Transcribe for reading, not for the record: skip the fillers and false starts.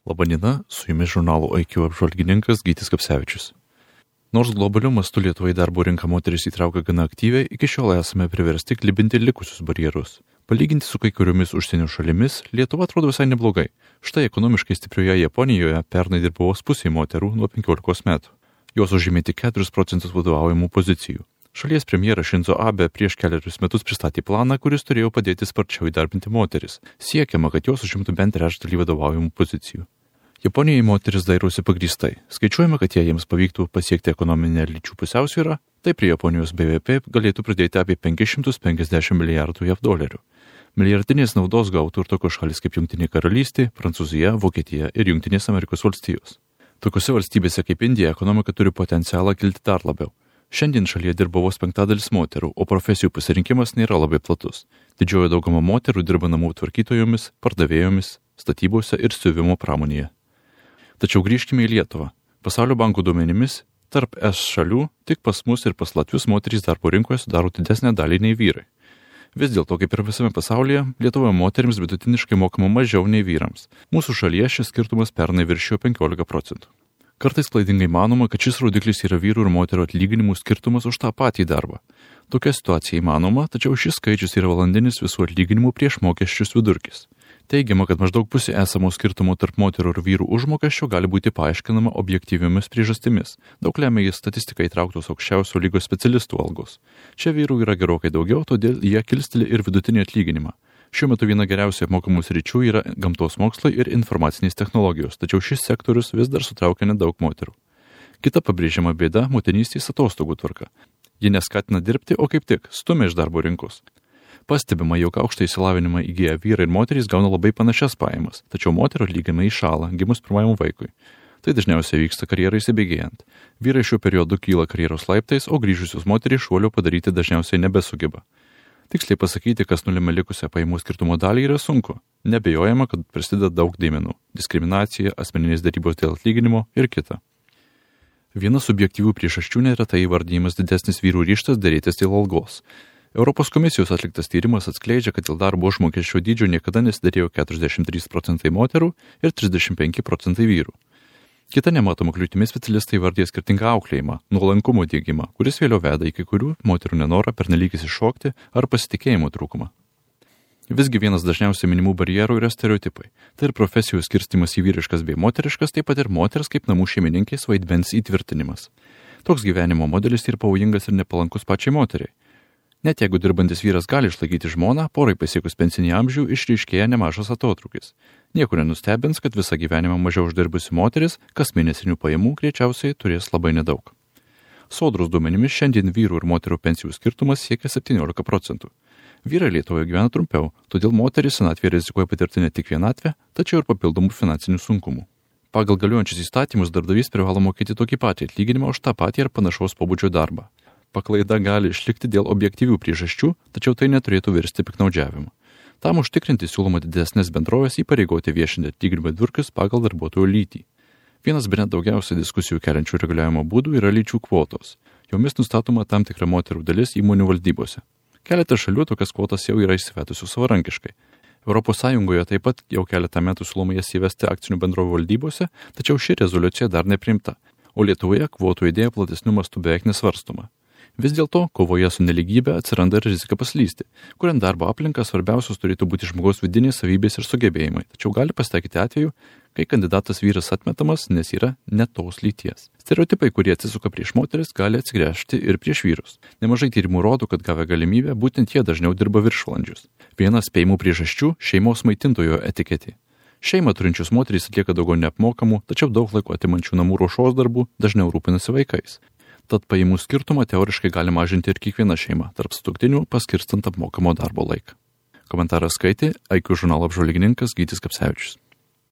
Labadiena, su jumis žurnalo IQ apžvalgininkas Gytis Kapsevičius. Nors globaliu mastu Lietuvoje darbo rinką moteris įtraukia gana aktyviai, iki šiol esame priversti klibinti likusius barjerus. Palyginti su kai kuriomis užsienio šalimis, Lietuva atrodo visai neblogai. Štai ekonomiškai stiprioje Japonijoje pernai dirbo vos pusė moterų nuo 15 metų. Jos užėmė tik 4% vadovaujamų pozicijų. Šalies premjeras Šinzo Abe prieš keliarius metus pristatė planą, kuris turėjo padėti sparčiau įdarbinti moteris. Siekiama, kad jos užimtų bent trečdalį vadovaujamų pozicijų. Japonijoje moteris dairosi pagrįstai. Skaičiuojama, kad jei jiems pavyktų pasiekti ekonominę lyčių pusiausvyrą, tai prie Japonijos BVP galėtų pridėti apie 550 milijardų JAV dolerių. Milijardinės naudos gautų ir tokios šalis kaip Jungtinė karalystė, Prancūzija, Vokietija ir Jungtinės Amerikos valstijos. Tokiose valstybėse kaip Indija ekonomika turi potencialą kilti dar labiau. Šiandien šalyje dirba vos 5% moterų, o profesijų pasirinkimas nėra labai platus. Didžioji dauguma moterų dirba namų tvarkytojomis, pardavėjomis, statybose ir siuvimo pramonėje. Tačiau grįžkime į Lietuvą. Pasaulio banko duomenimis, tarp ES šalių tik pas mus ir pas latvius moterys darbo rinkoje sudaro didesnę dalį nei vyrai. Vis dėlto, kaip ir visame pasaulyje, Lietuvoje moterims vidutiniškai mokama mažiau nei vyrams. Mūsų šalyje šis skirtumas pernai viršijo 15%. Kartais klaidingai manoma, kad šis rodiklis yra vyrų ir moterų atlyginimų skirtumas už tą patį darbą. Tokia situacija įmanoma, tačiau šis skaičius yra valandinis visų atlyginimų prieš mokesčius vidurkis. Teigiama, kad maždaug pusė esamo skirtumo tarp moterų ir vyrų užmokesčio gali būti paaiškinama objektyviomis priežastimis. Daug lemia į statistiką įtrauktos aukščiausio lygio specialistų algos. Čia vyrų yra gerokai daugiau, todėl jie kilsteli ir vidutinį atlyginimą. Šiuo metu viena geriausiai apmokamų sričių yra gamtos mokslai ir informacinės technologijos, tačiau šis sektorius vis dar sutraukia nedaug moterų. Kita pabrėžiama bėda - motinystės atostogų tvarka. Ji neskatina dirbti, o kaip tik stumia iš darbo rinkos. Pastebima, jog aukštą išsilavinimą įgyję vyrai ir moterys gauna labai panašias pajamas, tačiau moterų atlyginimai įšąla gimus pirmajam vaikui. Tai dažniausiai vyksta karjerai įsibėgėjant. Vyrai šiuo periodu kyla karjeros laiptais, o grįžusios moterys šuolio padaryti dažniausiai nebesugeba. Tiksliai pasakyti, kas nulėmė likusią pajamų skirtumo dalį, yra sunku. Nebejojama, kad prisideda daug dėmenų - diskriminacija, asmeninės darybos dėl atlyginimo ir kita. Viena subjektyvių priežasčių neretai įvardyjimas didesnis vyrų ryžtas dėrėtis dėl algos. Europos komisijos atliktas tyrimas atskleidžia, kad dėl darbo užmokesčio dydžio niekada nesiderėjo 43% moterų ir 35% vyrų. Kita nematoma kliūtimi specialistai vardė skirtingą auklėjimą, nuolankumo diegimą, kuris vėliau veda į kai kurių moterų nenorą pernelyg iššokti ar pasitikėjimo trūkumą. Visgi vienas dažniausiai minimų barjerų yra stereotipai. Tai ir profesijų skirstimas į vyriškas bei moteriškas, taip pat ir moters kaip namų šeimininkės vaidmens įtvirtinimas. Toks gyvenimo modelis yra pavojingas ir nepalankus pačiai moteriai. Net jeigu dirbantis vyras gali išlaikyti žmoną, porai pasiekus pensinį amžių išryškėja nemažas atotrūkis. Niekur nenustebins, kad visą gyvenimą mažiau uždirbusi moteris kas mėnesinių pajamų greičiausiai turės labai nedaug. Sodros duomenimis šiandien vyrų ir moterų pensijų skirtumas siekia 17%. Vyrai Lietuvoje gyvena trumpiau, todėl moteris senatvėje rizikuoja patirti ne tik vienatvę, tačiau ir papildomų finansinių sunkumų. Pagal galiojančius įstatymus darbdavys privalo mokėti tokį patį atlyginimą už tą patį ar panašaus pobūdžio darbą. Paklaida gali išlikti dėl objektyvių priežasčių, tačiau tai neturėtų virsti piktnaudžiavimu. Tam užtikrinti siūloma didesnės bendrovės įpareigoti viešinti atlyginimų vidurkius pagal darbuotojų lytį. Vienas bene daugiausiai diskusijų keliančių reguliavimo būdų yra lyčių kvotos. Jomis nustatoma tam tikra moterų dalis įmonių valdybose. Keletą šalių tokias kvotas jau yra įsivedusių savarankiškai. Europos Sąjungoje taip pat jau keletą metų siūloma jas įvesti akcinių bendrovių valdybose, tačiau ši rezoliucija dar nepriimta, o Lietuvoje kvotų idėja platesniu mastu beveik nesvarstoma. Vis dėlto, kovoje su neligybė atsiranda ir rizika paslysti, kuriant darbo aplinką svarbiausios turėtų būti žmogaus vidinės savybės ir sugebėjimai, tačiau gali pasitaikyti atveju, kai kandidatas vyras atmetamas, nes yra ne tos lyties. Stereotipai, kurie atsisuka prieš moteris, gali atsigręžti ir prieš vyrus. Nemažai tyrimų rodo, kad gavę galimybę, būtent jie dažniau dirba viršvalandžius. Vienas spėjimų priežasčių - šeimos maitintojo etiketė. Šeimą turinčios moterys atlieka daugiau neapmokamų, tačiau daug laiko atimančių namų ruošos darbų, dažniau rūpinasi vaikais. Tad pajamų skirtumą teoriškai gali mažinti ir kiekviena šeima, tarp sutuoktinių paskirstant apmokamo darbo laiką. Komentarą skaitė IQ žurnalo apžvalgininkas Gytis Kapsevičius.